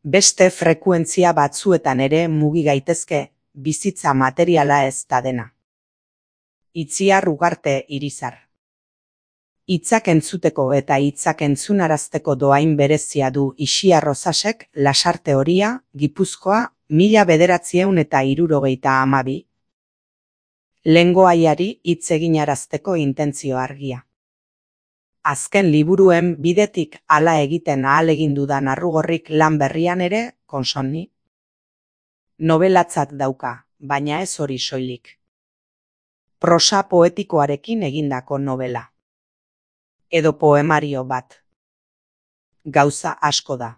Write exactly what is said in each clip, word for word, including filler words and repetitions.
Beste frekuentzia batzuetan ere mugi gaitezke, bizitza materiala ez da dena. Itziar Ugarte Irizar. Hitzak entzuteko eta hitzak entzunarazteko dohain berezia du Ixiar Rosasek, Lasarte Horia, Gipuzkoa, mila bederatziehun eta hirurogeita hamabi. Lengoaiari hitz eginarazteko intentzio argia. Azken liburuen bidetik hala egiten ahalegin dudan Arrugorrik lan berrian ere, konsonni. Nobelatzat dauka, baina ez hori soilik. Prosa poetikoarekin egindako novela. Edo poemario bat. Gauza asko da.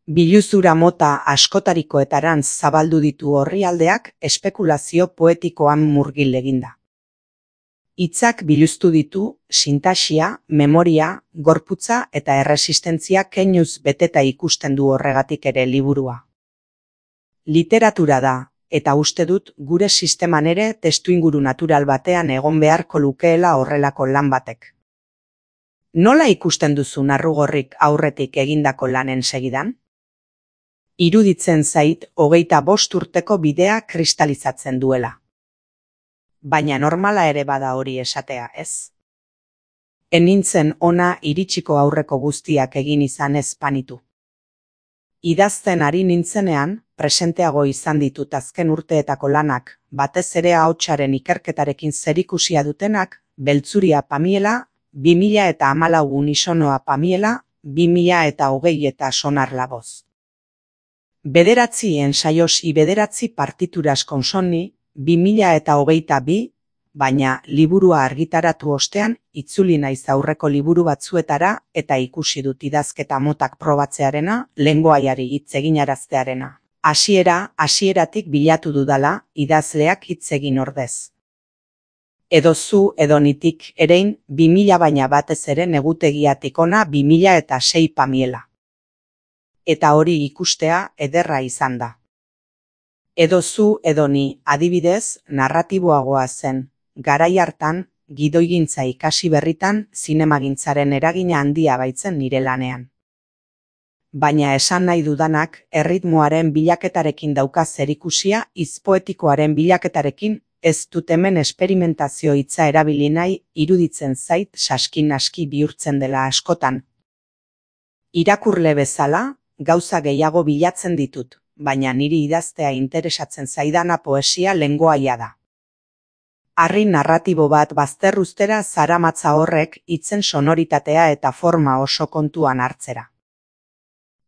Biluzura mota askotarikoetarantz zabaldu ditu orrialdeak espekulazio poetikoan murgil eginda. Hitzak biluztu ditu, sintaxia, memoria, gorputza eta erresistentzia keinuz beteta ikusten du horregatik ere liburua. Literatura da, eta uste dut gure sisteman ere testuinguru natural batean egon beharko lukeela horrelako lan batek. Nola ikusten duzu Arrugorrik aurretik egindako lanen segidan? Iruditzen zait hogeita bost urteko bidea kristalizatzen duela. Baina normala ere bada hori esatea, ez? Enintzen ona iritsiko aurreko guztiak egin izan ez panitu. Idazten ari nintzenean, presenteago izan ditut azken urteetako lanak, batez ere ahotsaren ikerketarekin zerikusia dutenak, Beltzuria Pamiela, bi mila eta hamalau Unisonoa Pamiela, bi mila eta hogei eta Sonar Laboz. Bederatzi ensaios i bederatzi partituras konsonni, bi mila eta hogeita bi, baina liburua argitaratu ostean itzuli naiz aurreko liburu batzuetara eta ikusi dut idazketa motak probatzearena, lengoaiari hitz eginaraztearena. Hasiera, hasieratik bilatu dudala, idazleak hitz egin ordez. Edo zu edo nitik erein, bi mila baina batez ere negutegiatik ona bi mila eta sei Pamiela. Eta hori ikustea ederra izan da. Edo zu edo ni, adibidez, narratiboagoa zen, garai hartan, gidoigintza ikasi berritan, zinemagintzaren eragina handia baitzen nire lanean. Baina esan nahi dudanak, erritmoaren bilaketarekin dauka zerikusia, hitz-poetikoaren bilaketarekin, ez dut hemen esperimentazio hitza erabili nahi, iruditzen zait saskin-aski bihurtzen dela askotan. Irakurle bezala, gauza gehiago bilatzen ditut, baina niri idaztea interesatzen zaidana poesia lengoaia da. Harri narratibo bat bazterruztera zaramatza horrek hitzen sonoritatea eta forma oso kontuan hartzera.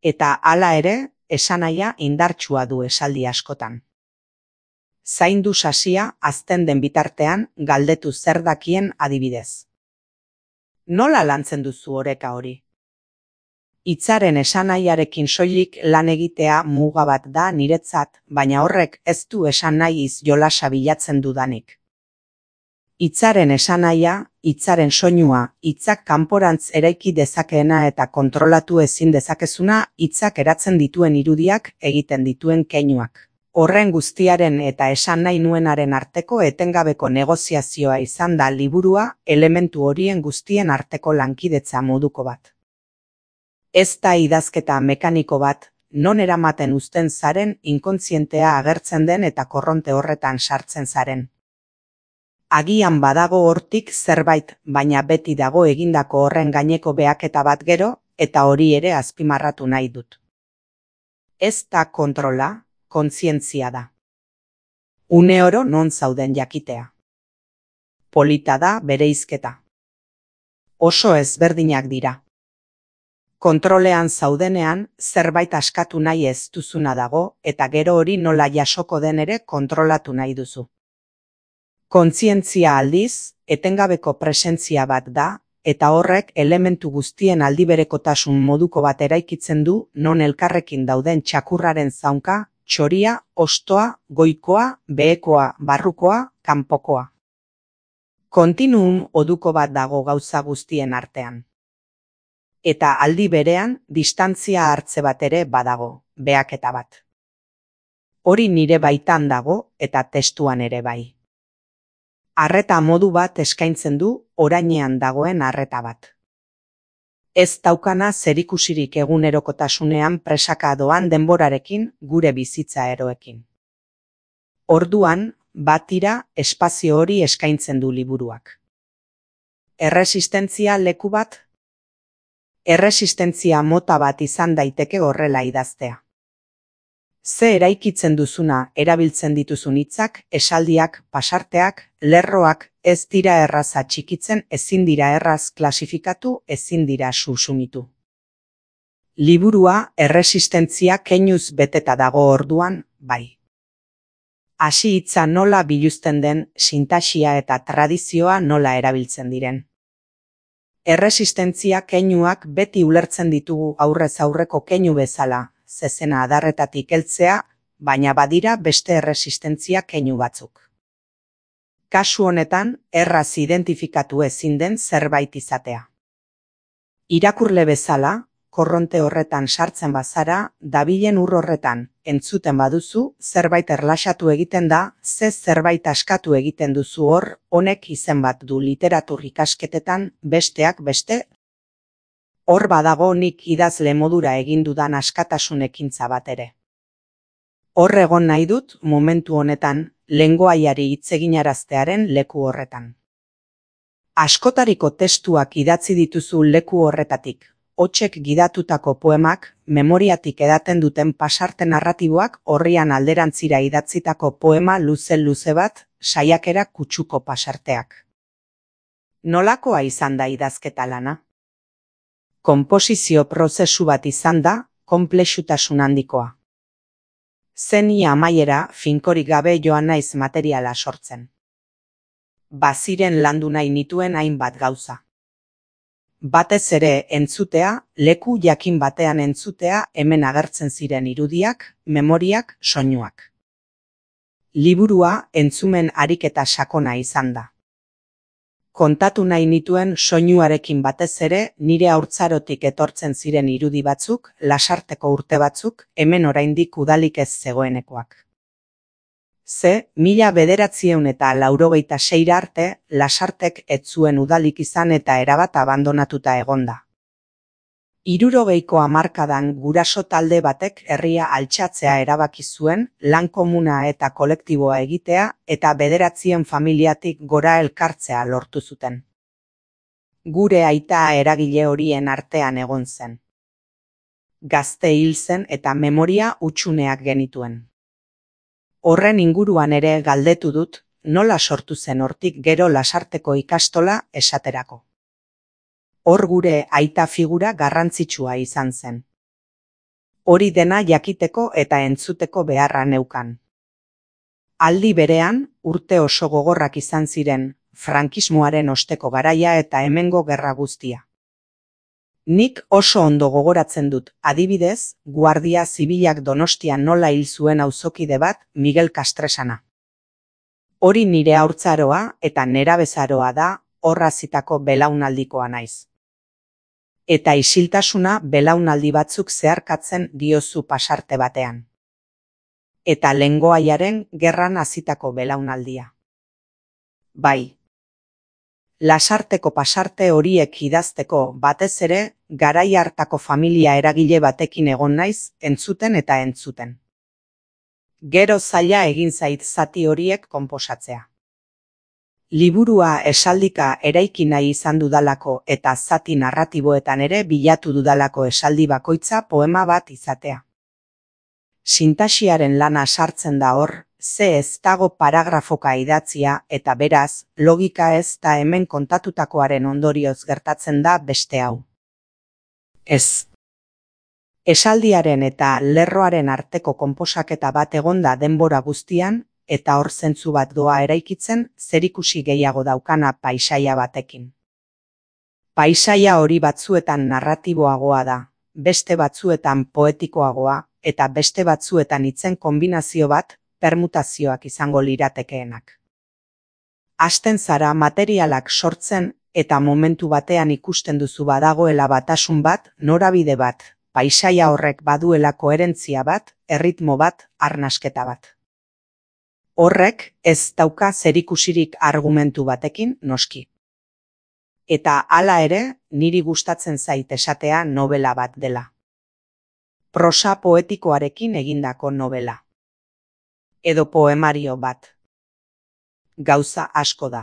Eta hala ere, esanahia indartsua du esaldi askotan. Zaindu sasia azten den bitartean galdetu zer dakien adibidez. Nola lantzen duzu oreka hori? Hitzaren esanahiarekin soilik lan egitea muga bat da niretzat, baina horrek ez du esan nahi iz jolasa bilatzen dudanik. Hitzaren esanahia, hitzaren soinua, hitzak kanporantz eraiki dezakeena eta kontrolatu ezin dezakezuna, hitzak eratzen dituen irudiak, egiten dituen keinuak. Horren guztiaren eta esan nahi nuenaren arteko etengabeko negoziazioa izan da liburua, elementu horien guztien arteko lankidetza moduko bat. Ez da idazketa mekaniko bat, non eramaten uzten zaren inkontzientea agertzen den eta korronte horretan sartzen zaren. Agian badago hortik zerbait, baina beti dago egindako horren gaineko behaketa bat gero, eta hori ere azpimarratu nahi dut. Ez da kontrola, kontzientzia da. Uneoro non zauden jakitea. Polita da bereizketa. Oso ezberdinak dira. Kontrolean zaudenean, zerbait askatu nahi ez duzuna dago, eta gero hori nola jasoko den ere kontrolatu nahi duzu. Kontzientzia aldiz, etengabeko presentzia bat da, eta horrek elementu guztien aldiberekotasun moduko bat eraikitzen du, non elkarrekin dauden txakurraren zaunka, txoria, ostoa, goikoa, behekoa, barrukoa, kanpokoa. Kontinuum oduko bat dago gauza guztien artean. Eta aldi berean, distantzia hartze bat ere badago, behaketa bat. Hori nire baitan dago, eta testuan ere bai. Arreta modu bat eskaintzen du, orainean dagoen arreta bat. Ez daukana zerikusirik egunerokotasunean presaka doan denborarekin gure bizitza eroekin. Orduan, batira espazio hori eskaintzen du liburuak. Erresistentzia leku bat? Erresistentzia mota bat izan daiteke horrela idaztea. Ze eraikitzen duzuna erabiltzen dituzun hitzak, esaldiak, pasarteak, lerroak ez dira erraza txikitzen, ezin dira erraz klasifikatu, ezin dira susumitu. Liburua erresistentzia keinuz beteta dago orduan, bai. Hasi hitza nola biluzten den, sintaxia eta tradizioa nola erabiltzen diren. Erresistentzia keinuak beti ulertzen ditugu aurrez aurreko keinu bezala, zezena adarretatik heltzea, baina badira beste erresistentzia keinu batzuk. Kasu honetan, erraz identifikatu ezin den zerbait izatea. Irakurle bezala, korronte horretan sartzen bazara, dabilen ur horretan, entzuten baduzu, zerbait erlaxatu egiten da, ze zerbait askatu egiten duzu hor, honek izen bat du literatur ikasketetan, besteak beste. Hor badago nik idazle modura egin dudan askatasun ekintza bat ere. Hor egon nahi dut, momentu honetan, lengoaiari hitz eginaraztearen leku horretan. Askotariko testuak idatzi dituzu leku horretatik, hotsek gidatutako poemak, memoriatik edaten duten pasarte narratiboak horrian alderantzira idatzitako poema luze-luze bat, saiakera kutsuko pasarteak. Nolakoa izan da idazketa lana? Konposizio prozesu bat izan da, konplexutasun handikoa. Zeni amaiera finkorik gabe joan naiz materiala sortzen. Baziren landu nahi nituen hainbat gauza. Batez ere entzutea, leku jakin batean entzutea hemen agertzen ziren irudiak, memoriak, soinuak. Liburua entzumen ariketa sakona izan da. Kontatu nahi nituen soinuarekin batez ere nire haurtzarotik etortzen ziren irudi batzuk, lasarteko urte batzuk, hemen oraindik udalik ez zegoenekoak. Ze, mila bederatziehun eta laurogeita seira arte, lasartek ez zuen udalik izan eta erabat abandonatuta egonda. Hirurogeiko hamarkadan guraso talde batek herria altxatzea erabaki zuen, lan komuna eta kolektiboa egitea eta bederatzien familiatik gora elkartzea lortu zuten. Gure aita eragile horien artean egon zen. Gazte hil zen eta memoria hutsuneak genituen. Horren inguruan ere galdetu dut, nola sortu zen hortik gero lasarteko ikastola esaterako. Hor gure aita figura garrantzitsua izan zen. Hori dena jakiteko eta entzuteko beharra neukan. Aldi berean, urte oso gogorrak izan ziren, frankismoaren osteko garaia eta hemengo gerra guztia. Nik oso ondo gogoratzen dut, adibidez, Guardia Zibilak Donostian nola hil zuen auzokide bat, Miguel Castresana. Hori nire haurtzaroa eta nerabezaroa da, horrazitako belaunaldikoa naiz. Eta isiltasuna belaunaldi batzuk zeharkatzen diozu pasarte batean. Eta lengoaiaren gerran hasitako belaunaldia. Bai. Lasarteko pasarte horiek idazteko batez ere, garai hartako familia eragile batekin egon naiz, entzuten eta entzuten. Gero zaila egin zait zati horiek konposatzea. Liburua esaldika eraiki nahi izan dudalako eta zati narratiboetan ere bilatu dudalako esaldi bakoitza poema bat izatea. Sintaxiaren lana sartzen da hor, ze ez dago paragrafoka idatzia eta beraz, logika ez da hemen kontatutakoaren ondorioz gertatzen da beste hau. Ez. Esaldiaren eta lerroaren arteko konposaketa bat egonda denbora guztian, eta hor zentzu bat doa eraikitzen, zerikusi gehiago daukana paisaia batekin. Paisaia hori batzuetan narratiboagoa da, beste batzuetan poetikoagoa, eta beste batzuetan hitzen konbinazio bat, permutazioak izango liratekeenak. Hasten zara materialak sortzen, eta momentu batean ikusten duzu badagoela batasun bat, norabide bat, paisaia horrek baduela koherentzia bat, erritmo bat, arnasketa bat. Horrek ez dauka zerikusirik argumentu batekin noski. Eta hala ere, niri gustatzen zait esatea novela bat dela. Prosa poetikoarekin egindako novela. Edo poemario bat. Gauza asko da.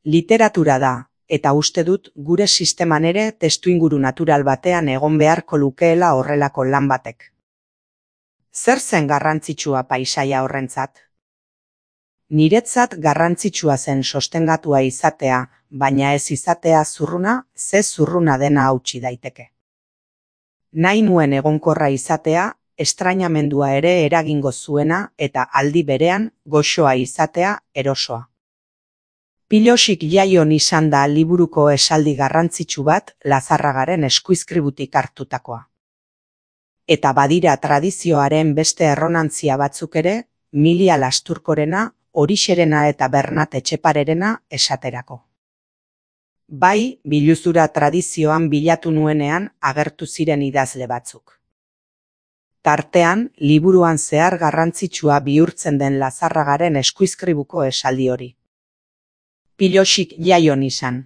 Literatura da, eta uste dut gure sisteman ere testuinguru natural batean egon beharko lukeela horrelako lan batek. Zer zen garrantzitsua paisaia horrentzat? Niretzat garrantzitsua zen sostengatua izatea, baina ez izatea zurruna, ze zurruna dena hautsi daiteke. Nahi nuen egonkorra izatea, estrainamendua ere eragingo zuena eta aldi berean goxoa izatea erosoa. Pilosik jaion izan da liburuko esaldi garrantzitsu bat Lazarragaren eskuizkributik hartutakoa. Eta badira tradizioaren beste erronantzia batzuk ere, Milia Lasturkorena, Orixerena eta Bernat Etxeparerena esaterako. Bai, biluzura tradizioan bilatu nuenean agertu ziren idazle batzuk. Tartean, liburuan zehar garrantzitsua bihurtzen den Lazarragaren eskuizkribuko esaldi hori. Pilosik jaion izan.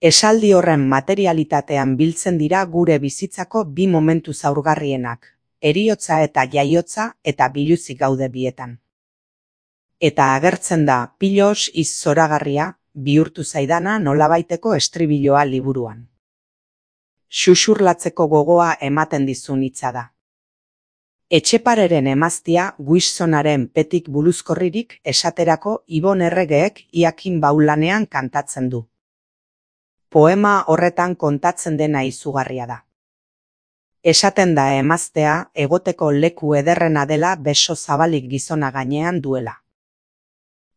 Esaldi horren materialitatean biltzen dira gure bizitzako bi momentu zaurgarrienak, heriotza eta jaiotza eta biluzik gaude bietan. Eta agertzen da pilos iz zoragarria, bihurtu zaidana nolabaiteko estribiloa liburuan. Xuxurlatzeko gogoa ematen dizun hitza da. Etxepareren emaztia Guiszonaren petik buluzkorririk esaterako Ibon Erregeek Iakin Baulanean kantatzen du. Poema horretan kontatzen dena izugarria da. Esaten da emaztea egoteko leku ederrena dela beso zabalik gizona gainean duela.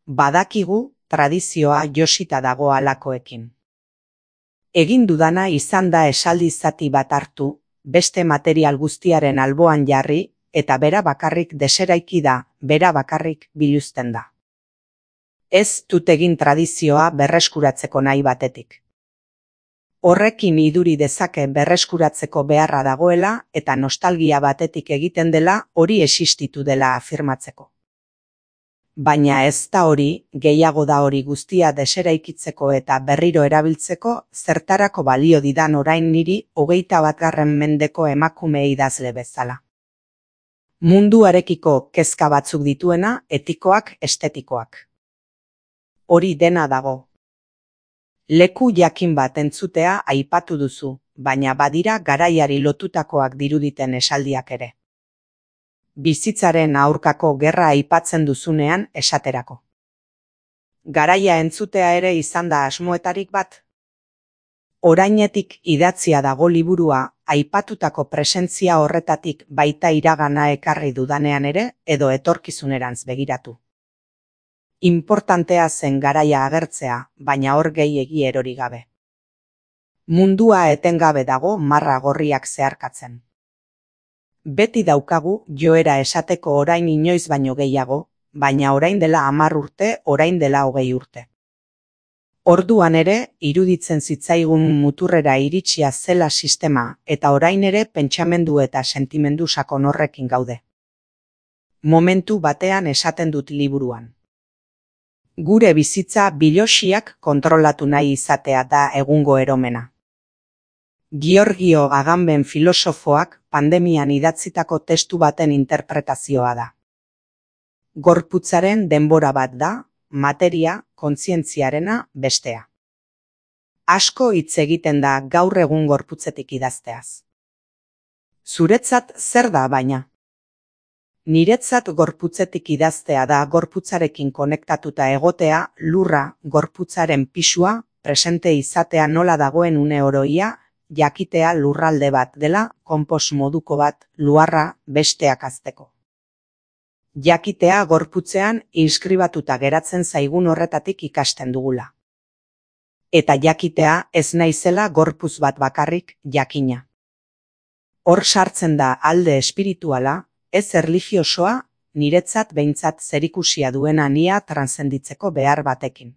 Badakigu tradizioa josita dago halakoekin. Egin dudana izan da esaldi zati bat hartu, beste material guztiaren alboan jarri, eta bera bakarrik deseraiki da, bera bakarrik biluzten da. Ez dut egin tradizioa berreskuratzeko nahi batetik. Horrekin iduri dezake berreskuratzeko beharra dagoela eta nostalgia batetik egiten dela hori existitu dela afirmatzeko. Baina ez da hori, gehiago da hori guztia deseraikitzeko eta berriro erabiltzeko zertarako balio didan orain niri hogeita batgarren mendeko emakume idazle bezala. Munduarekiko kezka batzuk dituena, etikoak, estetikoak. Hori dena dago. Leku jakin bat entzutea aipatu duzu, baina badira garaiari lotutakoak diruditen esaldiak ere. Bizitzaren aurkako gerra aipatzen duzunean esaterako. Garaia entzutea ere izan da asmoetarik bat. Orainetik idatzia dago liburua, aipatutako presentzia horretatik baita iragana ekarri dudanean ere edo etorkizunerantz begiratu. Importantea zen garaia agertzea, baina hor gehiegi erori gabe. Mundua etengabe dago marra gorriak zeharkatzen. Beti daukagu joera esateko orain inoiz baino gehiago, baina orain dela hamar urte, orain dela hogei urte. Orduan ere, iruditzen zitzaigun muturrera iritsia zela sistema eta orain ere pentsamendu eta sentimendu sakon horrekin gaude. Momentu batean esaten dut liburuan. Gure bizitza bilosiak kontrolatu nahi izatea da egungo eromena. Giorgio Agamben filosofoak pandemian idatzitako testu baten interpretazioa da. Gorputzaren denbora bat da, materia, kontzientziarena bestea. Asko hitz egiten da gaur egun gorputzetik idazteaz. Zuretzat zer da baina? Niretzat gorputzetik idaztea da gorputzarekin konektatuta egotea, lurra, gorputzaren pisua, presente izatea nola dagoen une oroia, jakitea lurralde bat dela, konpos moduko bat, luarra besteak azteko. Jakitea gorputzean inskribatuta geratzen zaigun horretatik ikasten dugula. Eta jakitea ez naizela gorputz bat bakarrik jakina. Hor sartzen da alde espirituala, ez erlijiosoa, niretzat behintzat zerikusia duena nia transzenditzeko behar batekin.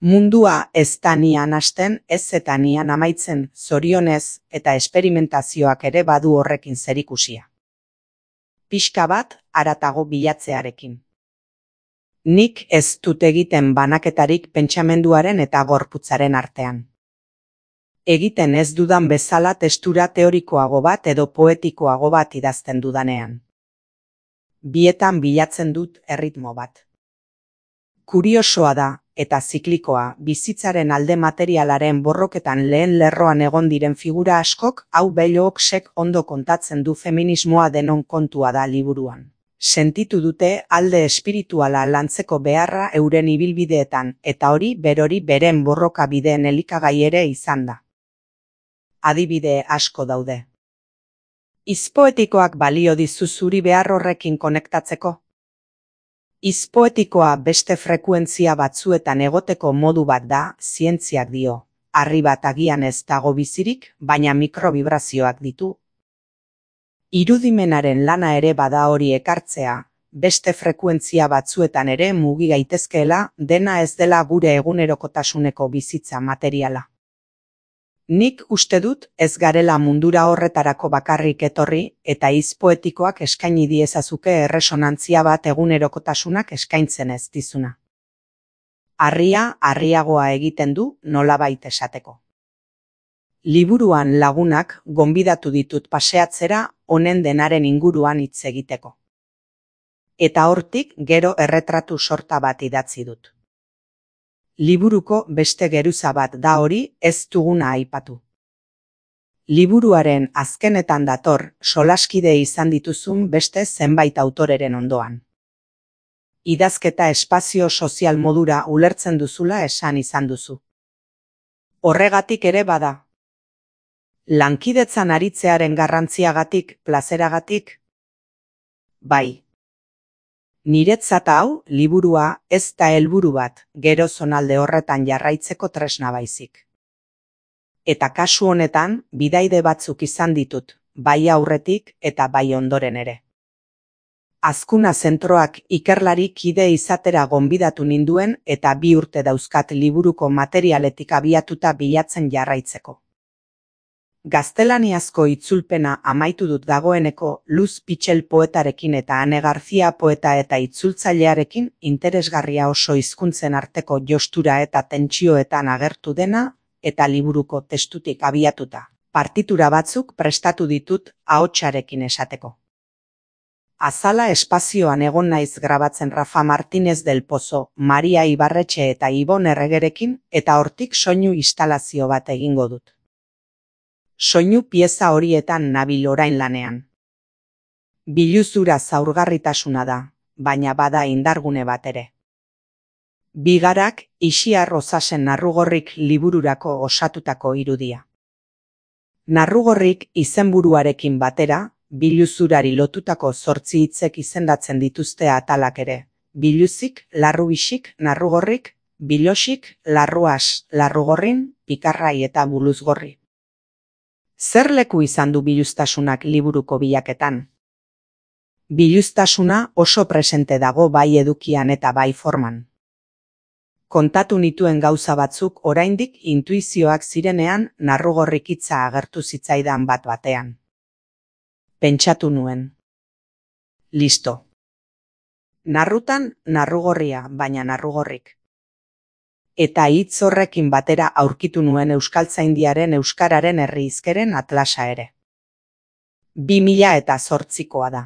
Mundua ez da nian hasten, ez eta nian amaitzen, zorionez eta esperimentazioak ere badu horrekin zerikusia. Pixka bat haratago bilatzearekin. Nik ez dut egiten banaketarik pentsamenduaren eta gorputzaren artean. Egiten ez dudan bezala testura teorikoago bat edo poetikoago bat idazten dudanean. Bietan bilatzen dut erritmo bat. Kuriosoa da, eta ziklikoa, bizitzaren alde materialaren borroketan lehen lerroan egon diren figura askok, hau Bellocsek ondo kontatzen du feminismoa denon kontua da liburuan. Sentitu dute alde espirituala lantzeko beharra euren ibilbideetan, eta hori berori beren borroka bideen elikagai ere izan da. Adibide asko daude. Izpoetikoak balio dizu zuri behar horrekin konektatzeko? Izpoetikoa beste frekuentzia batzuetan egoteko modu bat da, zientziak dio. Harri bat agian ez dago bizirik, baina mikrobibrazioak ditu. Irudimenaren lana ere bada hori ekartzea, beste frekuentzia batzuetan ere mugi gaitezkeela, dena ez dela gure egunerokotasuneko bizitza materiala. Nik uste dut ez garela mundura horretarako bakarrik etorri eta izpoetikoak eskaini diezazuke erresonantzia bat egunerokotasunak eskaintzen ez dizuna. Harria harriagoa egiten du nolabait esateko. Liburuan lagunak gonbidatu ditut paseatzera honen denaren inguruan hitz egiteko. Eta hortik gero erretratu sorta bat idatzi dut. Liburuko beste geruza bat da hori ez duguna aipatu. Liburuaren azkenetan dator solaskide izan dituzun beste zenbait autoreren ondoan. Idazketa espazio sozial modura ulertzen duzula esan izan duzu. Horregatik ere bada. Lankidetzan aritzearen garrantziagatik, plazeragatik? Bai. Niretzat hau, liburua, ez da helburu bat, gero zonalde horretan jarraitzeko tresna baizik. Eta kasu honetan, bidaide batzuk izan ditut, bai aurretik eta bai ondoren ere. Azkuna zentroak ikerlari kide izatera gonbidatu ninduen eta bi urte dauzkat liburuko materialetik abiatuta bilatzen jarraitzeko. Gaztelaniazko itzulpena amaitu dut dagoeneko Luz Pitxel poetarekin eta Ane Garzia poeta eta itzultzailearekin interesgarria oso hizkuntzen arteko jostura eta tentsioetan agertu dena eta liburuko testutik abiatuta. Partitura batzuk prestatu ditut ahotsarekin esateko. Azala espazioan egon naiz grabatzen Rafa Martínez del Pozo, Maria Ibarretxe eta Ibon Erregerekin eta hortik soinu instalazio bat egingo dut. Soinu pieza horietan nabil orain lanean. Biluzura zaurgarritasuna da, baina bada indargune bat ere. Bigarak Ixiar Osasen Narrugorrik libururako osatutako irudia. Narrugorrik izenburuarekin batera, biluzurari lotutako zortzi hitzek izendatzen dituzte atalak ere. Biluzik, larrubixik, narrugorrik, bilosik, larruas, larrugorrin, pikarrai eta buluzgorri. Zer leku izan du biluztasunak liburuko bilaketan? Biluztasuna oso presente dago bai edukian eta bai forman. Kontatu nituen gauza batzuk oraindik intuizioak zirenean Narrugorrik hitza agertu zitzaidan bat batean. Pentsatu nuen. Listo. Narrutan narrugorria, baina narrugorrik. Eta hitz horrekin batera aurkitu nuen Euskaltzaindiaren euskararen herri hizkeren atlasa ere. Bi mila eta zortzikoa da.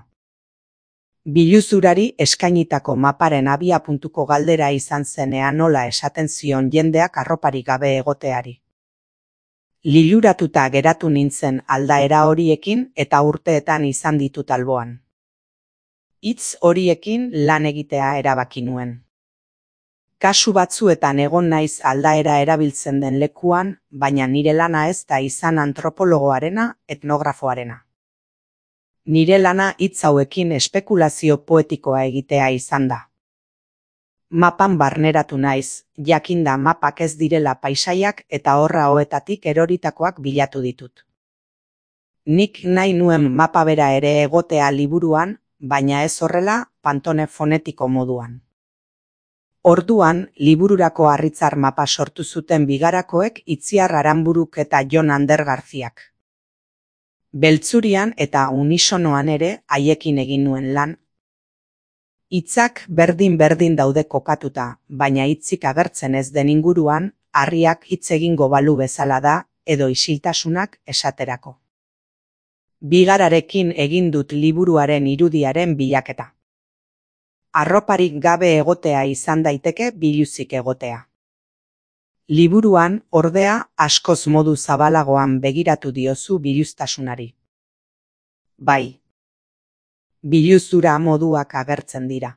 Biluzurari eskainitako maparen abiapuntuko galdera izan zenean nola esaten zion jendeak arroparik gabe egoteari. Liluratuta geratu nintzen aldaera horiekin eta urteetan izan ditut alboan. Hitz horiekin lan egitea erabaki nuen. Kasu batzuetan egon naiz aldaera erabiltzen den lekuan, baina nire lana ez da izan antropologoarena, etnografoarena. Nire lana hitz hauekin espekulazio poetikoa egitea izan da. Mapan barneratu naiz, jakinda mapak ez direla paisaiak eta horra hoetatik eroritakoak bilatu ditut. Nik nahi nuen mapa bera ere egotea liburuan, baina ez horrela pantone fonetiko moduan. Orduan, libururako harritzar mapa sortu zuten Bigarakoek Itziar Aranburuk eta Jon Ander Garziak. Beltzurian eta unisonoan ere haiekin egin nuen lan. Hitzak berdin-berdin daude kokatuta, baina hitzik agertzen ez den inguruan, harriak hitz egingo balu bezala da, edo isiltasunak esaterako. Bigararekin egin dut liburuaren irudiaren bilaketa. Arroparik gabe egotea izan daiteke biluzik egotea. Liburuan, ordea, askoz modu zabalagoan begiratu diozu biluztasunari. Bai. Biluzura moduak agertzen dira.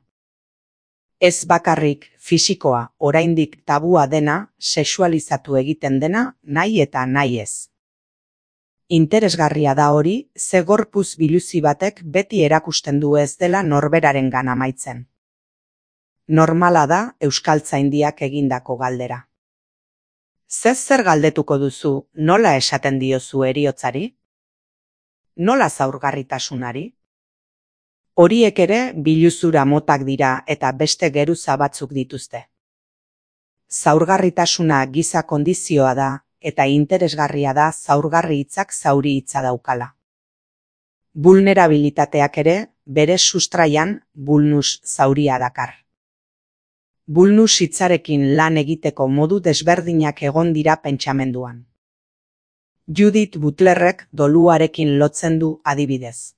Ez bakarrik fisikoa, oraindik tabua dena, sexualizatu egiten dena, nahi eta nahi ez. Interesgarria da hori, ze gorpuz biluzi batek beti erakusten du ez dela norberarengan amaitzen. Normala da euskaltzaindiak egindako galdera. Zez zer galdetuko duzu, nola esaten diozu heriotzari? Nola zaurgarritasunari? Horiek ere biluzura motak dira eta beste geruza batzuk dituzte. Zaurgarritasuna giza kondizioa da, eta interesgarria da zaurgarri hitzak zauri hitza daukala. Vulnerabilitateak ere, bere sustraian, vulnus zauria dakar. Vulnus hitzarekin lan egiteko modu desberdinak egon dira pentsamenduan. Judith Butlerrek doluarekin lotzen du adibidez.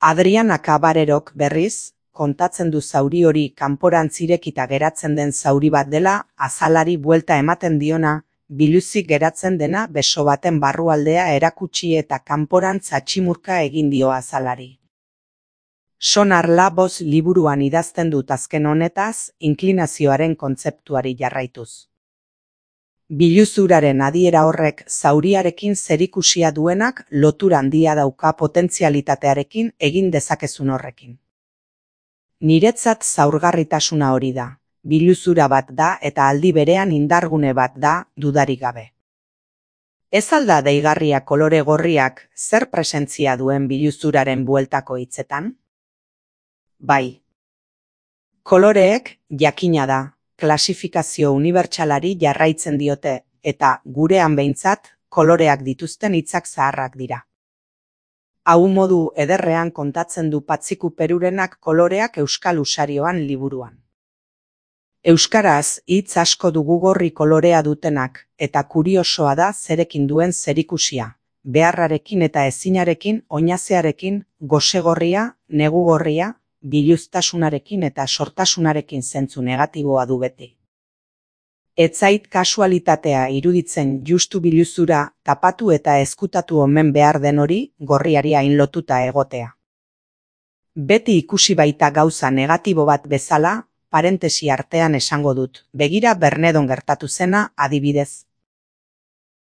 Adriana Cabarerok berriz, kontatzen du zauri hori kanporantz irekita geratzen den zauri bat dela, azalari buelta ematen diona, biluzik geratzen dena beso baten barrualdea erakutsi eta kanporantz atximurka egin dio azalari. Sonar Laboz liburuan idazten dut azken honetaz, inklinazioaren kontzeptuari jarraituz. Biluzuraren adiera horrek zauriarekin zerikusia duenak lotura handia dauka potentzialitatearekin egin dezakezun horrekin. Niretzat zaurgarritasuna hori da, biluzura bat da eta aldi berean indargune bat da dudarik gabe. Ez alda deigarria kolore gorriak zer presentzia duen biluzuraren bueltako hitzetan? Bai. Koloreek, jakina da, klasifikazio unibertsalari jarraitzen diote, eta gurean behintzat, koloreak dituzten hitzak zaharrak dira. Hau modu ederrean kontatzen du Patxiku Perurenak koloreak euskal usarioan liburuan. Euskaraz hitz asko dugu gorri kolorea dutenak, eta kuriosoa da zerekin duen zerikusia, beharrarekin eta ezinarekin, oinazearekin, gosegorria, negugorria, biluztasunarekin eta sortasunarekin zentzu negatiboa du beti. Ez zait kasualitatea iruditzen justu biluzura tapatu eta ezkutatu omen behar den hori gorriari hain lotuta egotea. Beti ikusi baita gauza negatibo bat bezala, parentesi artean esango dut, begira Bernedon gertatu zena adibidez.